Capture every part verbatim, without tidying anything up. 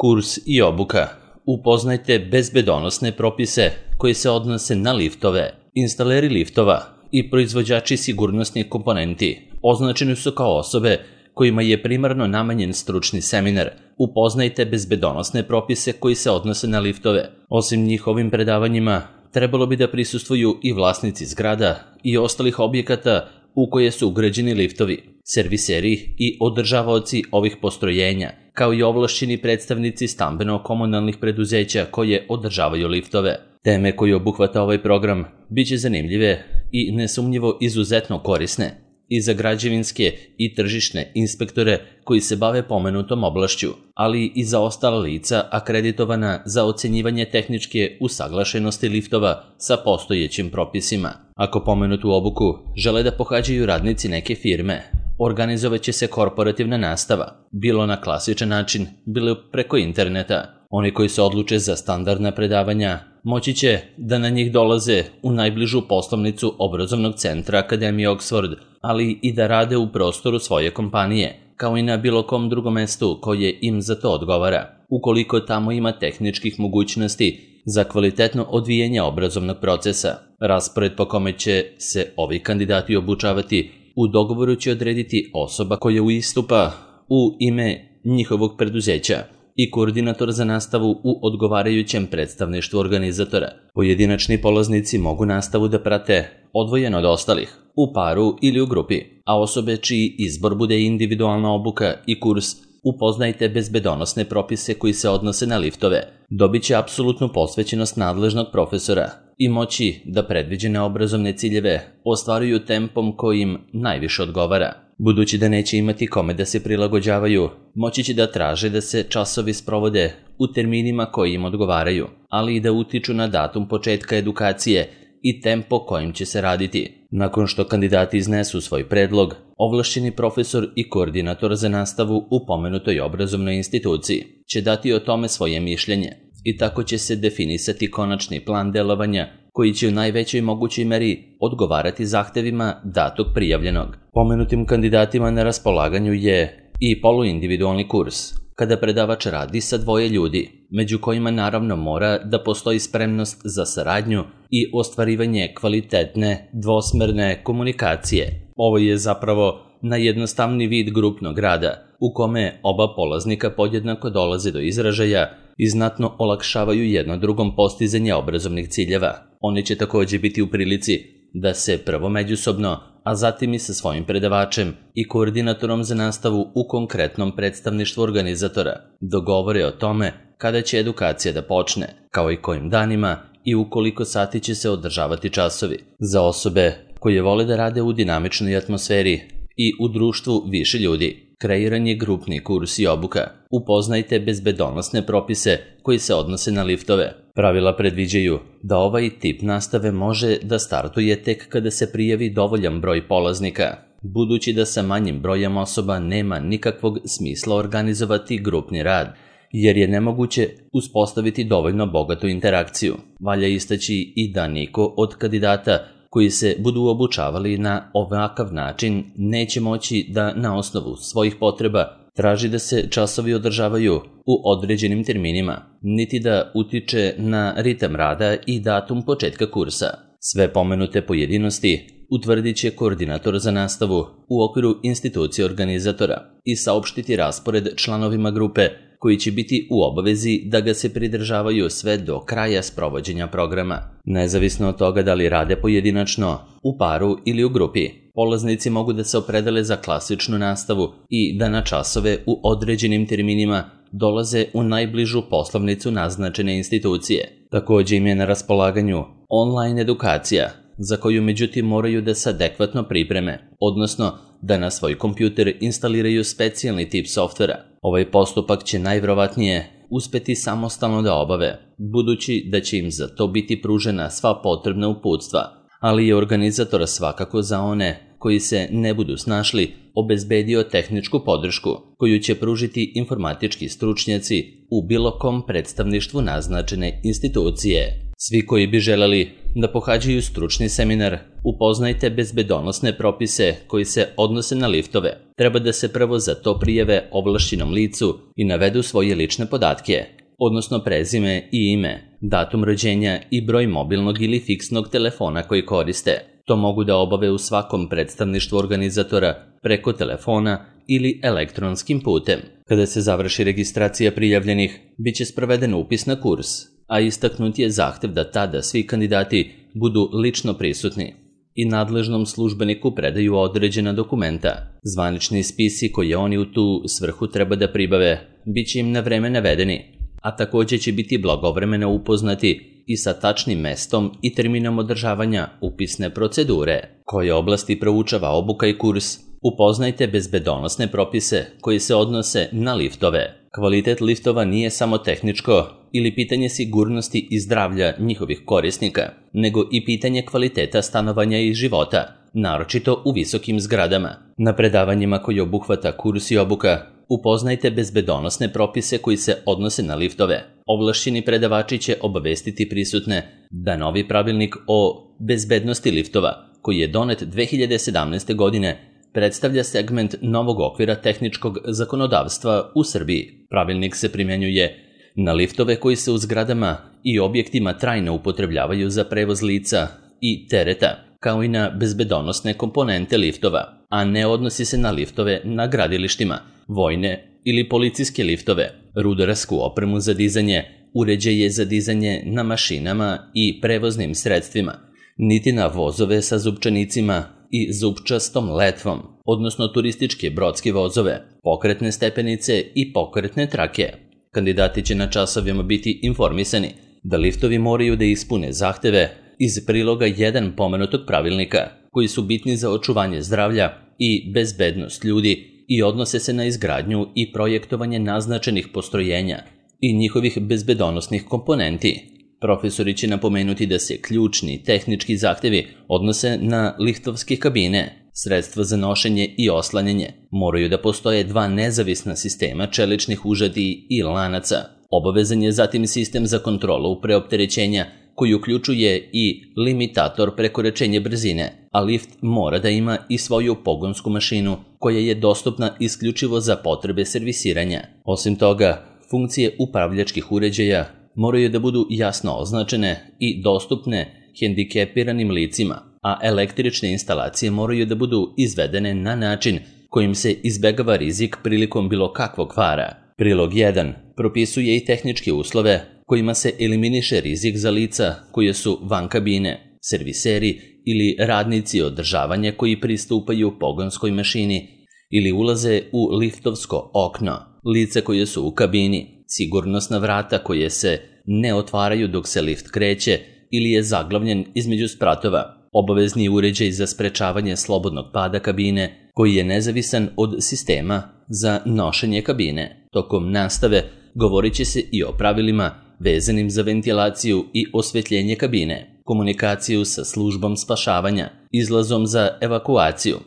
Kurs i obuka. Upoznajte bezbedonosne propise koji se odnose na liftove. Instaleri liftova i proizvođači sigurnosnih komponenti označeni su kao osobe kojima je primarno namenjen stručni seminar. Upoznajte bezbedonosne propise koji se odnose na liftove. Osim njihovim predavanjima, trebalo bi da prisustvuju i vlasnici zgrada i ostalih objekata u koje su ugrađeni liftovi, serviseri i održavaoci ovih postrojenja, kao i ovlašćeni predstavnici stambeno-komunalnih preduzeća koje održavaju liftove. Teme koje obuhvata ovaj program biće zanimljive i nesumnjivo izuzetno korisne i za građevinske i tržišne inspektore koji se bave pomenutom oblašću, ali i za ostala lica akreditovana za ocenjivanje tehničke usaglašenosti liftova sa postojećim propisima. Ako pomenutu obuku žele da pohađaju radnici neke firme, organizovaće se korporativna nastava, bilo na klasičan način, bilo preko interneta. Oni koji se odluče za standardna predavanja moći će da na njih dolaze u najbližu poslovnicu obrazovnog centra Akademije Oxford, ali i da rade u prostoru svoje kompanije, kao i na bilo kom drugom mestu koje im za to odgovara, ukoliko tamo ima tehničkih mogućnosti za kvalitetno odvijanje obrazovnog procesa. Raspored po kome će se ovi kandidati obučavati u dogovoru će odrediti osoba koja uistupa u ime njihovog preduzeća i koordinator za nastavu u odgovarajućem predstavništvu organizatora. Pojedinačni polaznici mogu nastavu da prate odvojeno od ostalih, u paru ili u grupi, a osobe čiji izbor bude individualna obuka i kurs Upoznajte bezbedonosne propise koji se odnose na liftove, dobit će apsolutnu posvećenost nadležnog profesora i moći da predviđene obrazovne ciljeve ostvaruju tempom koji im najviše odgovara. Budući da neće imati kome da se prilagođavaju, moći će da traže da se časovi sprovode u terminima koji im odgovaraju, ali i da utiču na datum početka edukacije i tempo kojim će se raditi. Nakon što kandidati iznesu svoj predlog, ovlašćeni profesor i koordinator za nastavu u pomenutoj obrazovnoj instituciji će dati o tome svoje mišljenje i tako će se definisati konačni plan delovanja koji će u najvećoj mogućoj meri odgovarati zahtevima datog prijavljenog. Pomenutim kandidatima na raspolaganju je i poluindividualni kurs, kada predavač radi sa dvoje ljudi, među kojima naravno mora da postoji spremnost za saradnju i ostvarivanje kvalitetne dvosmerne komunikacije. Ovo je zapravo najjednostavniji vid grupnog rada, u kome oba polaznika podjednako dolaze do izražaja i znatno olakšavaju jedno drugom postizanje obrazovnih ciljeva. Oni će također biti u prilici da se prvo međusobno, a zatim i sa svojim predavačem i koordinatorom za nastavu u konkretnom predstavništvu organizatora dogovore o tome kada će edukacija da počne, kao i kojim danima i u koliko sati će se održavati časovi. Za osobe koje vole da rade u dinamičnoj atmosferi i u društvu više ljudi, kreiran je grupni kurs i obuka. Upoznajte bezbedonosne propise koji se odnose na liftove. Pravila predviđaju da ovaj tip nastave može da startuje tek kada se prijavi dovoljan broj polaznika, budući da sa manjim brojem osoba nema nikakvog smisla organizovati grupni rad, jer je nemoguće uspostaviti dovoljno bogatu interakciju. Valja istaći i da niko od kandidata koji se budu obučavali na ovakav način neće moći da na osnovu svojih potreba traži da se časovi održavaju u određenim terminima, niti da utiče na ritam rada i datum početka kursa. Sve pomenute pojedinosti utvrdit će koordinator za nastavu u okviru institucije organizatora i saopštiti raspored članovima grupe koji će biti u obavezi da ga se pridržavaju sve do kraja sprovođenja programa. Nezavisno od toga da li rade pojedinačno, u paru ili u grupi, polaznici mogu da se opredele za klasičnu nastavu i da na časove u određenim terminima dolaze u najbližu poslovnicu naznačene institucije. Također im je na raspolaganju online edukacija, za koju međutim moraju da se adekvatno pripreme, odnosno da na svoj kompjuter instaliraju specijalni tip softvera. Ovaj postupak će najvjerovatnije uspeti samostalno da obave, budući da će im za to biti pružena sva potrebna uputstva, ali je organizator svakako za one koji se ne budu snašli obezbedio tehničku podršku koju će pružiti informatički stručnjaci u bilo kom predstavništvu naznačene institucije. Svi koji bi želeli da pohađaju stručni seminar Upoznajte bezbedonosne propise koji se odnose na liftove, treba da se prvo za to prijave ovlašćenom licu i navedu svoje lične podatke, odnosno prezime i ime, datum rođenja i broj mobilnog ili fiksnog telefona koji koriste. To mogu da obave u svakom predstavništvu organizatora preko telefona ili elektronskim putem. Kada se završi registracija prijavljenih, bit će sproveden upis na kurs, a istaknut je zahtev da tada svi kandidati budu lično prisutni i nadležnom službeniku predaju određena dokumenta. Zvanični spisi koje oni u tu svrhu treba da pribave bit će im na vreme navedeni, a također će biti blagovremeno upoznati i sa tačnim mestom i terminom održavanja upisne procedure. Koje oblasti proučava obuka i kurs? Upoznajte bezbedonosne propise koji se odnose na liftove. Kvalitet liftova nije samo tehničko ili pitanje sigurnosti i zdravlja njihovih korisnika, nego i pitanje kvaliteta stanovanja i života, naročito u visokim zgradama. Na predavanjima koji obuhvata kurs i obuka, upoznajte bezbedonosne propise koji se odnose na liftove. Ovlašćeni predavači će obavestiti prisutne da novi pravilnik o bezbednosti liftova, koji je donet dve hiljade sedamnaeste. godine, predstavlja segment novog okvira tehničkog zakonodavstva u Srbiji. Pravilnik se primjenjuje na liftove koji se u zgradama i objektima trajno upotrebljavaju za prevoz lica i tereta, kao i na bezbedonosne komponente liftova, a ne odnosi se na liftove na gradilištima, vojne ili policijske liftove, rudarsku opremu za dizanje, uređaje za dizanje na mašinama i prevoznim sredstvima, niti na vozove sa zupčanicima i zupčastom letvom, odnosno turističke brodske vozove, pokretne stepenice i pokretne trake. Kandidati će na časovima biti informisani da liftovi moraju da ispune zahteve iz priloga jedan pomenutog pravilnika, koji su bitni za očuvanje zdravlja i bezbednost ljudi i odnose se na izgradnju i projektovanje naznačenih postrojenja i njihovih bezbedonosnih komponenti. Profesori će napomenuti da se ključni tehnički zahtevi odnose na liftovske kabine, sredstva za nošenje i oslanjanje. Moraju da postoje dva nezavisna sistema čeličnih užadi i lanaca. Obavezan je zatim sistem za kontrolu preopterećenja koji uključuje i limitator prekoračenja brzine, a lift mora da ima i svoju pogonsku mašinu koja je dostupna isključivo za potrebe servisiranja. Osim toga, funkcije upravljačkih uređaja moraju da budu jasno označene i dostupne hendikepiranim licima, a električne instalacije moraju da budu izvedene na način kojim se izbegava rizik prilikom bilo kakvog kvara. Prilog jedan propisuje i tehničke uslove kojima se eliminiše rizik za lica koje su van kabine, serviseri ili radnici održavanja koji pristupaju pogonskoj mašini ili ulaze u liftovsko okno, lica koje su u kabini, sigurnosna vrata koje se ne otvaraju dok se lift kreće ili je zaglavljen između spratova, obavezni uređaj za sprečavanje slobodnog pada kabine koji je nezavisan od sistema za nošenje kabine. Tokom nastave govorit će se i o pravilima vezanim za ventilaciju i osvetljenje kabine, komunikaciju sa službom spašavanja, izlazom za evakuaciju,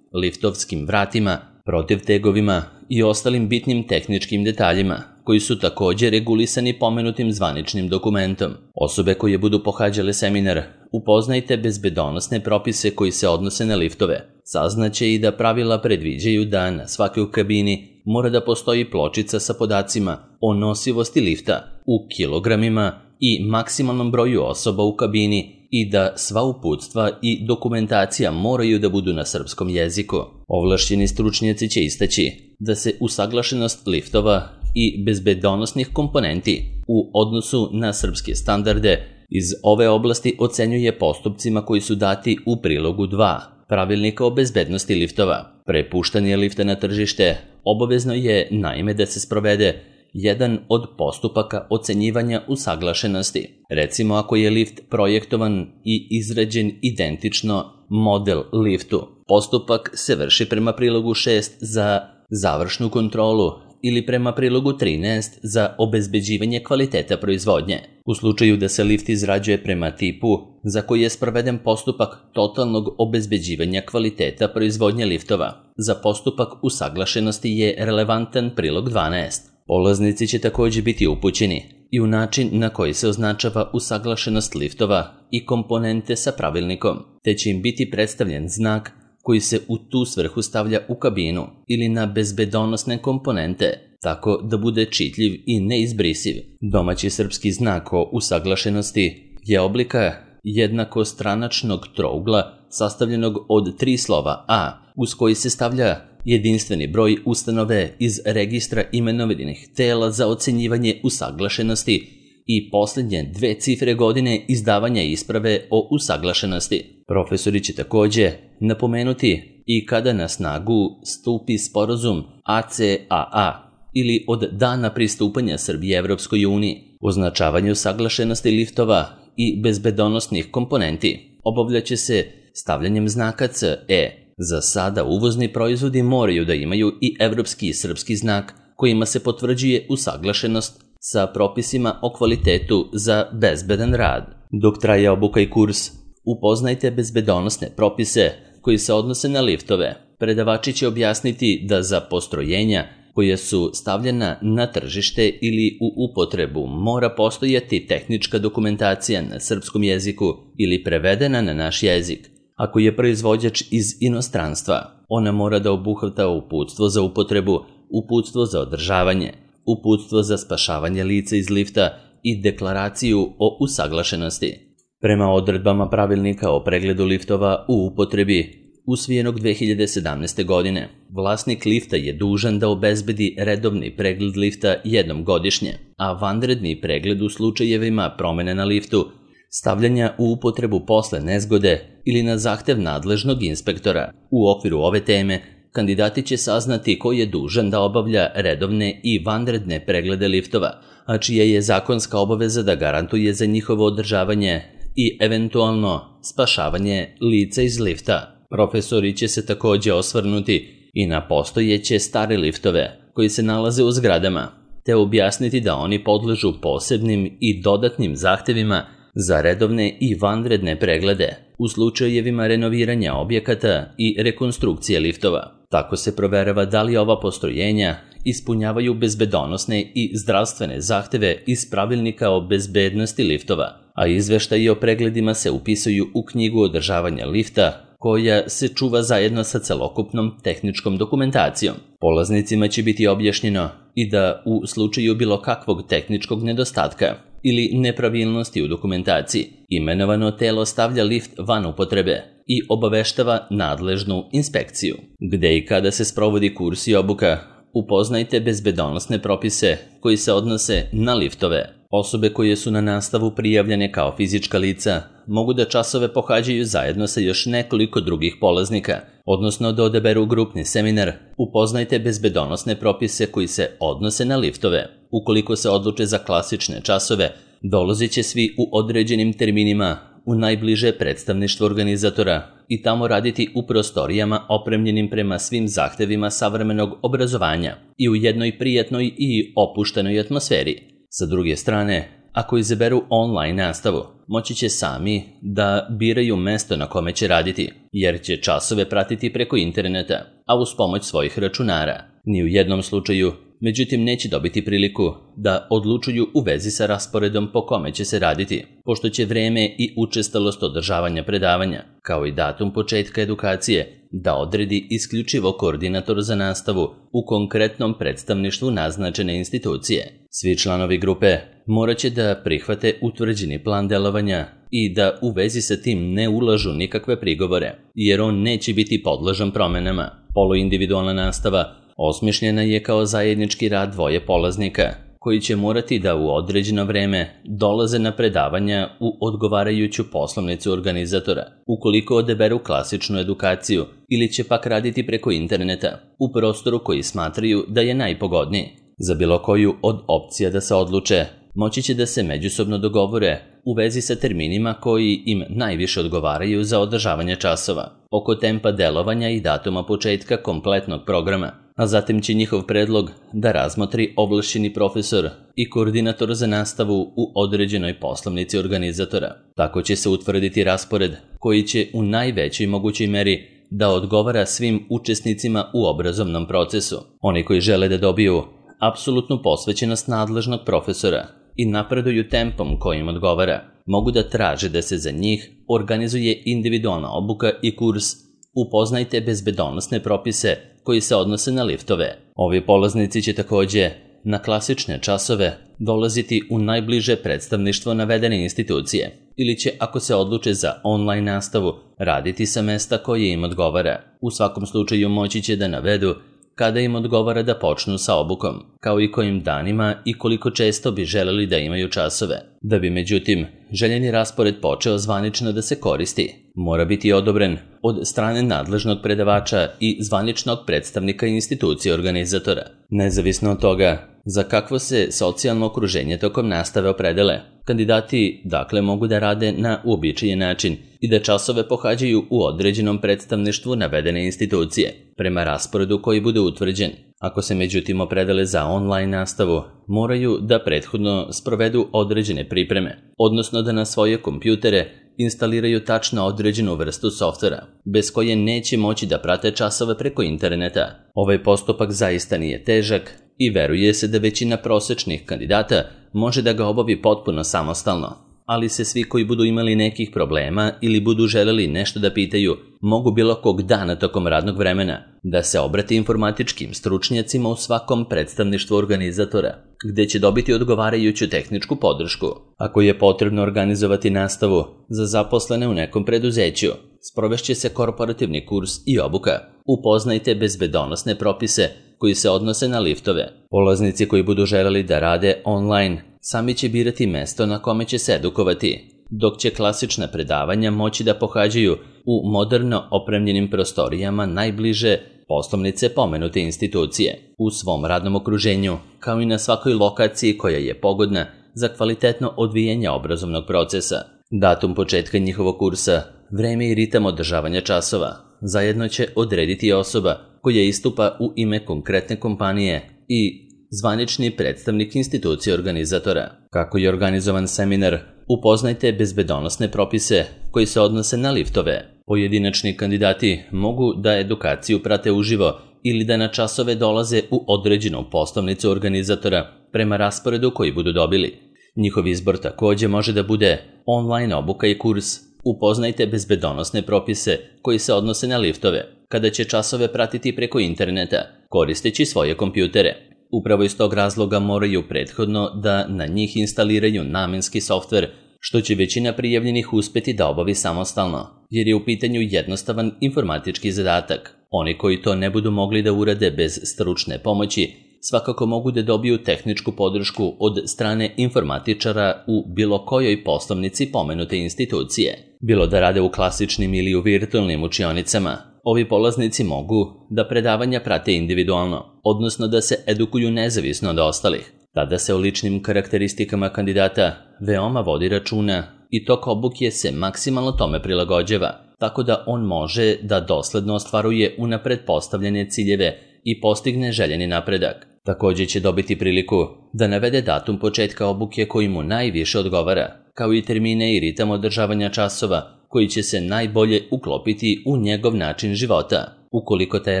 liftovskim vratima, protivtegovima i ostalim bitnim tehničkim detaljima, koji su također regulisani pomenutim zvaničnim dokumentom. Osobe koje budu pohađale seminar Upoznajte bezbedonosne propise koji se odnose na liftove. Saznaće i da pravila predviđaju da na svakoj kabini mora da postoji pločica sa podacima o nosivosti lifta u kilogramima i maksimalnom broju osoba u kabini i da sva uputstva i dokumentacija moraju da budu na srpskom jeziku. Ovlašćeni stručnjaci će istaći da se usaglašenost liftova i bezbedonosnih komponenti u odnosu na srpske standarde iz ove oblasti ocenjuje postupcima koji su dati u prilogu dva Pravilnika o bezbednosti liftova. Pre puštanja lifta na tržište obavezno je naime da se sprovede jedan od postupaka ocenjivanja usaglašenosti. Recimo ako je lift projektovan i izrađen identično model liftu, postupak se vrši prema prilogu šest za završnu kontrolu ili prema prilogu trinaest za obezbeđivanje kvaliteta proizvodnje. U slučaju da se lift izrađuje prema tipu za koji je sproveden postupak totalnog obezbeđivanja kvaliteta proizvodnje liftova, za postupak usaglašenosti je relevantan prilog dvanaest. Polaznici će također biti upućeni i u način na koji se označava usaglašenost liftova i komponente sa pravilnikom, te će im biti predstavljen znak koji se u tu svrhu stavlja u kabinu ili na bezbedonosne komponente, tako da bude čitljiv i neizbrisiv. Domaći srpski znak o usaglašenosti je oblika jednakostranačnog trougla sastavljenog od tri slova A, uz koji se stavlja jedinstveni broj ustanove iz registra imenovanih tela za ocenjivanje usaglašenosti i posljednje dve cifre godine izdavanja isprave o usaglašenosti. Profesori će takođe napomenuti i kada na snagu stupi sporazum A C A A ili od dana pristupanja Srbije Evropskoj uniji. Označavanje usaglašenosti liftova i bezbedonosnih komponenti obavljaće se stavljanjem znaka C E. Za sada uvozni proizvodi moraju da imaju i evropski i srpski znak kojima se potvrđuje usaglašenost sa propisima o kvalitetu za bezbedan rad. Dok traje obuka i kurs, upoznajte bezbedonosne propise koji se odnose na liftove. Predavači će objasniti da za postrojenja koja su stavljena na tržište ili u upotrebu mora postojati tehnička dokumentacija na srpskom jeziku ili prevedena na naš jezik. Ako je proizvođač iz inostranstva, ona mora da obuhvata uputstvo za upotrebu, uputstvo za održavanje, uputstvo za spašavanje lica iz lifta i deklaraciju o usaglašenosti. Prema odredbama pravilnika o pregledu liftova u upotrebi, usvojenog dve hiljade sedamnaeste. godine, vlasnik lifta je dužan da obezbedi redovni pregled lifta jednom godišnje, a vanredni pregled u slučajevima promene na liftu, stavljanja u upotrebu posle nezgode ili na zahtev nadležnog inspektora. U okviru ove teme, kandidati će saznati ko je dužan da obavlja redovne i vanredne preglede liftova, a čija je zakonska obaveza da garantuje za njihovo održavanje i eventualno spašavanje lica iz lifta. Profesori će se takođe osvrnuti i na postojeće stare liftove koji se nalaze u zgradama, te objasniti da oni podležu posebnim i dodatnim zahtevima za redovne i vanredne preglede u slučajevima renoviranja objekata i rekonstrukcije liftova. Tako se proverava da li ova postrojenja ispunjavaju bezbedonosne i zdravstvene zahteve iz pravilnika o bezbednosti liftova, a izveštaji o pregledima se upisuju u knjigu održavanja lifta, koja se čuva zajedno sa celokupnom tehničkom dokumentacijom. Polaznicima će biti objašnjeno i da u slučaju bilo kakvog tehničkog nedostatka ili nepravilnosti u dokumentaciji, imenovano telo stavlja lift van upotrebe i obaveštava nadležnu inspekciju. Gde i kada se sprovodi kurs i obuka, upoznajte bezbedonosne propise koji se odnose na liftove. Osobe koje su na nastavu prijavljene kao fizička lica mogu da časove pohađaju zajedno sa još nekoliko drugih polaznika, odnosno da odaberu grupni seminar. Upoznajte bezbedonosne propise koji se odnose na liftove. Ukoliko se odluče za klasične časove, dolazit će svi u određenim terminima u najbliže predstavništvo organizatora i tamo raditi u prostorijama opremljenim prema svim zahtevima savremenog obrazovanja i u jednoj prijatnoj i opuštenoj atmosferi. Sa druge strane, ako izaberu online nastavu, moći će sami da biraju mesto na kome će raditi, jer će časove pratiti preko interneta, a uz pomoć svojih računara. Ni u jednom slučaju, međutim, neće dobiti priliku da odlučuju u vezi sa rasporedom po kome će se raditi, pošto će vreme i učestalost održavanja predavanja, kao i datum početka edukacije, da odredi isključivo koordinator za nastavu u konkretnom predstavništvu naznačene institucije. Svi članovi grupe morat će da prihvate utvrđeni plan delovanja i da u vezi sa tim ne ulažu nikakve prigovore, jer on neće biti podložan promenama. Poluindividualna nastava osmišljena je kao zajednički rad dvoje polaznika, koji će morati da u određeno vreme dolaze na predavanja u odgovarajuću poslovnicu organizatora, ukoliko odaberu klasičnu edukaciju ili će pak raditi preko interneta u prostoru koji smatraju da je najpogodniji. Za bilo koju od opcija da se odluče, moći će da se međusobno dogovore u vezi sa terminima koji im najviše odgovaraju za održavanje časova, oko tempa delovanja i datuma početka kompletnog programa, a zatim će njihov predlog da razmotri ovlašćeni profesor i koordinator za nastavu u određenoj poslovnici organizatora. Tako će se utvrditi raspored koji će u najvećoj mogućoj meri da odgovara svim učesnicima u obrazovnom procesu. Oni koji žele da dobiju apsolutnu posvećenost nadležnog profesora i napreduju tempom kojim odgovara, mogu da traže da se za njih organizuje individualna obuka i kurs Upoznajte bezbedonosne propise koji se odnose na liftove. Ovi polaznici će takođe na klasične časove dolaziti u najbliže predstavništvo navedene institucije ili će, ako se odluče za online nastavu, raditi sa mesta koje im odgovara. U svakom slučaju moći će da navedu kada im odgovara da počnu sa obukom, kao i kojim danima i koliko često bi želeli da imaju časove. Da bi, međutim, željeni raspored počeo zvanično da se koristi, mora biti odobren od strane nadležnog predavača i zvaničnog predstavnika institucije organizatora. Nezavisno od toga za kakvo se socijalno okruženje tokom nastave opredele, kandidati dakle mogu da rade na uobičajen način i da časove pohađaju u određenom predstavništvu navedene institucije, prema rasporedu koji bude utvrđen. Ako se međutim opredele za online nastavu, moraju da prethodno sprovedu određene pripreme, odnosno da na svoje kompjutere instaliraju tačno određenu vrstu softvera, bez koje neće moći da prate časove preko interneta. Ovaj postupak zaista nije težak i veruje se da većina prosečnih kandidata može da ga obavi potpuno samostalno, ali se svi koji budu imali nekih problema ili budu želeli nešto da pitaju, mogu bilo kog dana tokom radnog vremena da se obrati informatičkim stručnjacima u svakom predstavništvu organizatora, gde će dobiti odgovarajuću tehničku podršku. Ako je potrebno organizovati nastavu za zaposlene u nekom preduzeću, sprovešće se korporativni kurs i obuka. Upoznajte bezbedonosne propise koji se odnose na liftove. Polaznici koji budu želeli da rade online sami će birati mesto na kome će se edukovati, dok će klasična predavanja moći da pohađaju u moderno opremljenim prostorijama najbliže poslovnice pomenute institucije, u svom radnom okruženju, kao i na svakoj lokaciji koja je pogodna za kvalitetno odvijanje obrazovnog procesa. Datum početka njihovog kursa, vreme i ritam održavanja časova zajedno će odrediti osoba koja istupa u ime konkretne kompanije i zvanični predstavnik institucije organizatora. Kako je organizovan seminar, upoznajte bezbedonosne propise koji se odnose na liftove. Pojedinačni kandidati mogu da edukaciju prate uživo ili da na časove dolaze u određenu poslovnicu organizatora prema rasporedu koji budu dobili. Njihov izbor takođe može da bude online obuka i kurs Upoznajte bezbedonosne propise koji se odnose na liftove, kada će časove pratiti preko interneta, koristeći svoje kompjutere. Upravo iz tog razloga moraju prethodno da na njih instaliraju namenski softver, što će većina prijavljenih uspeti da obavi samostalno, jer je u pitanju jednostavan informatički zadatak. Oni koji to ne budu mogli da urade bez stručne pomoći, svakako mogu da dobiju tehničku podršku od strane informatičara u bilo kojoj poslovnici pomenute institucije. Bilo da rade u klasičnim ili u virtualnim učionicama, ovi polaznici mogu da predavanja prate individualno, odnosno da se edukuju nezavisno od ostalih. Tada se o ličnim karakteristikama kandidata veoma vodi računa i tok obuke se maksimalno tome prilagođava, tako da on može da dosledno ostvaruje unapred postavljene ciljeve i postigne željeni napredak. Takođe će dobiti priliku da navede datum početka obuke koji mu najviše odgovara, kao i termine i ritam održavanja časova koji će se najbolje uklopiti u njegov način života. Ukoliko taj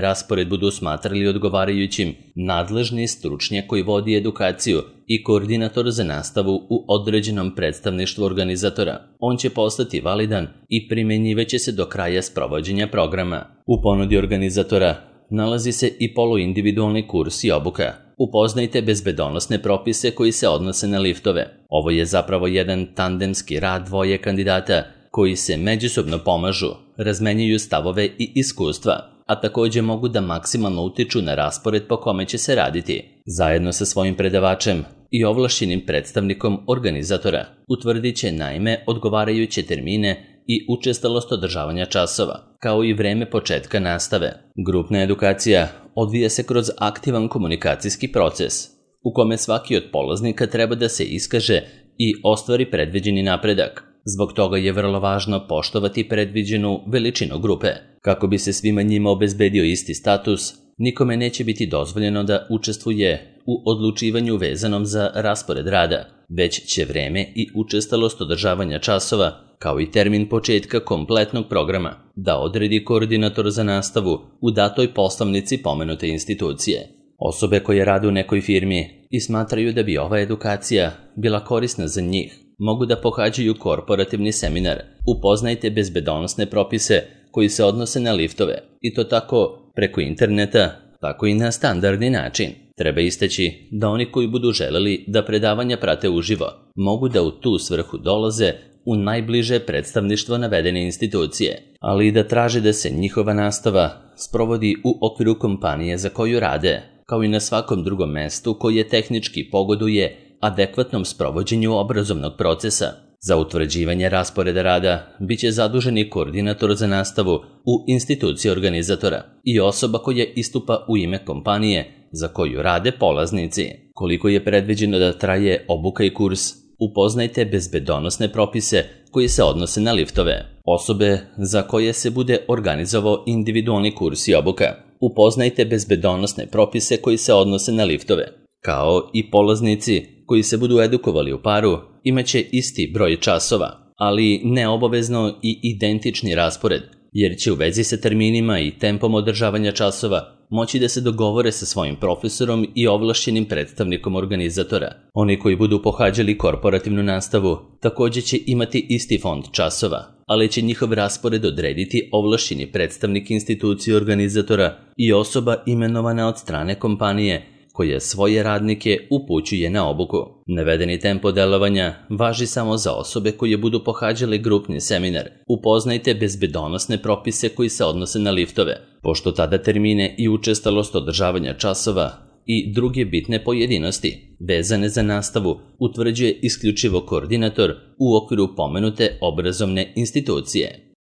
raspored budu smatrali odgovarajućim, nadležni stručnjak koji vodi edukaciju i koordinator za nastavu u određenom predstavništvu organizatora, on će postati validan i primenjivaće se do kraja sprovođenja programa. U ponudi organizatora nalazi se i poluindividualni kurs i obuka. Upoznajte bezbedonosne propise koji se odnose na liftove. Ovo je zapravo jedan tandemski rad dvoje kandidata koji se međusobno pomažu, razmenjuju stavove i iskustva, a takođe mogu da maksimalno utiču na raspored po kome će se raditi. Zajedno sa svojim predavačem i ovlašćenim predstavnikom organizatora utvrdit će naime odgovarajuće termine i učestalost održavanja časova, kao i vreme početka nastave. Grupna edukacija odvija se kroz aktivan komunikacijski proces, u kome svaki od polaznika treba da se iskaže i ostvari predviđeni napredak. Zbog toga je vrlo važno poštovati predviđenu veličinu grupe. Kako bi se svima njima obezbedio isti status, nikome neće biti dozvoljeno da učestvuje u odlučivanju vezanom za raspored rada, već će vreme i učestalost održavanja časova, kao i termin početka kompletnog programa, da odredi koordinator za nastavu u datoj poslovnici pomenute institucije. Osobe koje rade u nekoj firmi i smatraju da bi ova edukacija bila korisna za njih, mogu da pohađaju korporativni seminar Upoznajte bezbedonosne propise koji se odnose na liftove, i to tako preko interneta, tako i na standardni način. Treba istaći da oni koji budu želeli da predavanja prate uživo, mogu da u tu svrhu dolaze u najbliže predstavništvo navedene institucije, ali i da traže da se njihova nastava sprovodi u okviru kompanije za koju rade, kao i na svakom drugom mestu koje tehnički pogoduje adekvatnom sprovođenju obrazovnog procesa. Za utvrđivanje rasporeda rada biće zaduženi koordinator za nastavu u instituciji organizatora i osoba koja istupa u ime kompanije za koju rade polaznici. Koliko je predviđeno da traje obuka i kurs Upoznajte bezbedonosne propise koji se odnose na liftove. Osobe za koje se bude organizovao individualni kurs i obuka. Upoznajte bezbedonosne propise koji se odnose na liftove, kao i polaznici koji se budu edukovali u paru, imaće isti broj časova, ali neobavezno i identični raspored, jer će u vezi sa terminima i tempom održavanja časova moći da se dogovore sa svojim profesorom i ovlašćenim predstavnikom organizatora. Oni koji budu pohađali korporativnu nastavu također će imati isti fond časova, ali će njihov raspored odrediti ovlašćeni predstavnik institucije organizatora i osoba imenovana od strane kompanije koja svoje radnike upućuje na obuku. Navedeni tempo delovanja važi samo za osobe koje budu pohađale grupni seminar Upoznajte bezbedonosne propise koji se odnose na liftove, pošto tada termine i učestalost održavanja časova i druge bitne pojedinosti vezane za nastavu utvrđuje isključivo koordinator u okviru pomenute obrazovne institucije.